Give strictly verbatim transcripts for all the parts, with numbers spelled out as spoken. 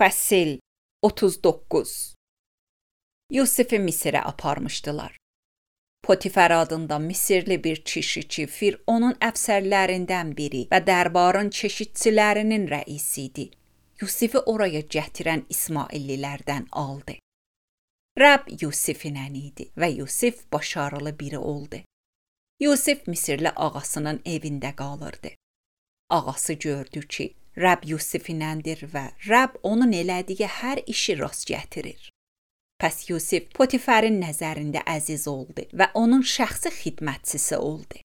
Fəsil otuz doqquz. Yusifi Misirə aparmışdılar. Potifar adında Misirli bir kişi Fironun əfsərlərindən biri və dərbarın çeşidçilərinin rəisi idi. Yusifi oraya gətirən İsmaillilərdən aldı. Rəbb Yusiflə idi və Yusif başarılı biri oldu. Yusif Misirli ağasının evində qalırdı. Ağası gördü ki, Rəbb Yusifləndir və Rəbb onun elədiyi hər işi rast gətirir. Pəs Yusif Potifarın nəzərində əziz oldu və onun şəxsi xidmətçisi oldu.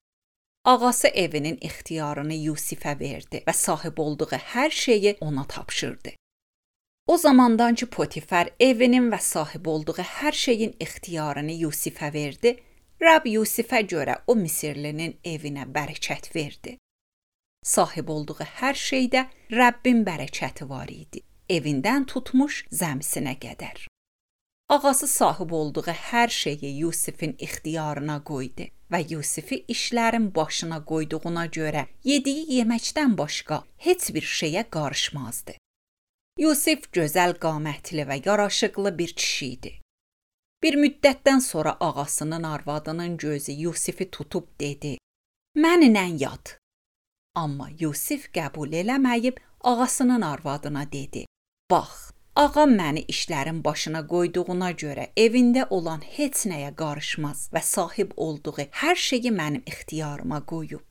Ağası evinin ixtiyarını Yusifə verdi və sahib olduğu hər şeyi ona tapşırdı. O zamandan ki Potifar evinin və sahib olduğu hər şeyin ixtiyarını Yusifə verdi, Rəbb Yusifə görə o Misirlinin evinə bərəkət verdi. Sahib olduğu hər şeydə Rəbbin bərəkəti var idi, evindən tutmuş zəmisinə qədər. Ağası sahib olduğu hər şeyi Yusifin ixtiyarına qoydu və Yusifi işlərin başına qoyduğuna görə yediyi yeməkdən başqa heç bir şeyə qarışmazdı. Yusif gözəl qamətli və yaraşıqlı bir kişi idi. Bir müddətdən sonra ağasının arvadının gözü Yusifi tutub dedi: "Mənimlə yat." Amma Yusif qəbul eləməyib ağasının arvadına dedi: "Bax, ağam məni işlərin başına qoyduğuna görə evində olan heç nəyə qarışmaz və sahib olduğu hər şeyi mənim ixtiyarıma qoyub.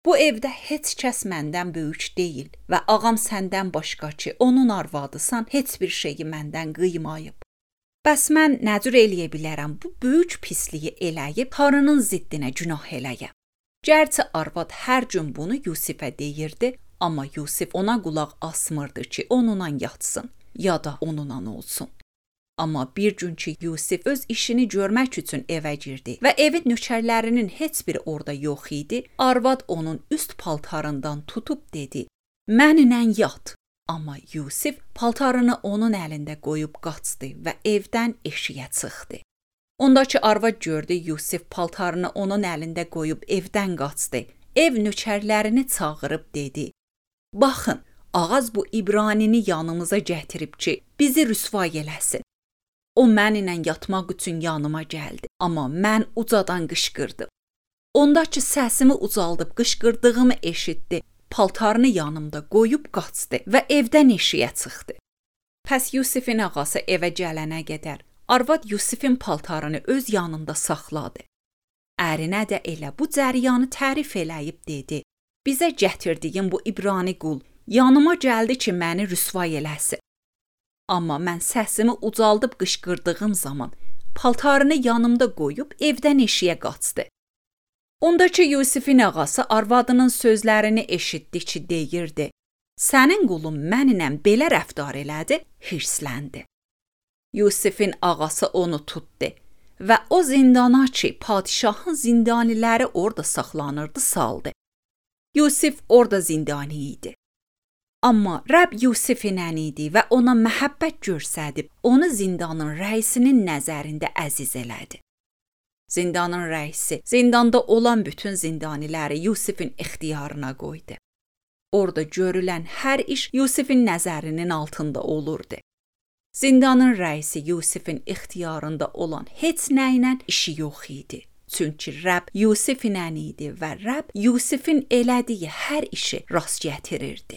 Bu evdə heç kəs məndən böyük deyil və ağam səndən başqa ki, onun arvadısan, heç bir şeyi məndən qıymayıb. Bəs mən nə cür eləyə bilərəm bu böyük pisliyi eləyib Tanrının ziddinə günah eləyəm?" Gərçi arvad hər gün bunu Yusifə deyirdi, amma Yusif ona qulaq asmırdı ki, onunla yatsın ya da onunla olsun. Amma bir gün ki Yusif öz işini görmək üçün evə girdi və evin nökərlərinin heç biri orada yox idi, arvad onun üst paltarından tutub dedi: "Mənimlə yat." Amma Yusif paltarını onun əlində qoyub qaçdı və evdən eşiyə çıxdı. Ondakı arvad gördü Yusif paltarını onun əlində qoyub evdən qaçdı. Ev nökərlərini çağırıb dedi: "Baxın, ağaz bu İbranini yanımıza gətirib ki, bizi rüsvay eləsin. O mənimlə yatmaq üçün yanıma gəldi, amma mən ucadan qışqırdım. Ondakı səsimi ucaldıb qışqırdığımı eşitdi, paltarını yanımda qoyub qaçdı və evdən eşiyə çıxdı." Pəs Yusifin ağası evə gələnə qədər arvad Yusifin paltarını öz yanında saxladı. Ərinə də elə bu cəryanı tərif eləyib dedi: "Bizə gətirdiyin bu İbrani qul yanıma gəldi ki, məni rüsvay eləsin. Amma mən səsimi ucaldıb qışqırdığım zaman paltarını yanımda qoyub evdən eşiyə qaçdı." Ondakı Yusifin ağası arvadının sözlərini eşitdi ki, deyirdi: "Sənin qulun mənimlə belə rəftar elədi", hirsləndi. Yusifin ağası onu tutdu və o zindana ki, padişahın zindaniləri orada saxlanırdı, saldı. Yusif orada zindani idi. Amma Rəbb Yusiflə idi və ona məhəbbət göstərib, onu zindanın rəisinin nəzərində əziz elədi. Zindanın rəisi zindanda olan bütün zindaniləri Yusifin ixtiyarına qoydu. Orada görülən hər iş Yusifin nəzərinin altında olurdu. Zindanın rəisi Yusifin ixtiyarında olan heç nə ilə işi yox idi. Çünki Rəbb Yusiflə idi və Rəbb Yusifin elədiyi hər işi rast gətirirdi.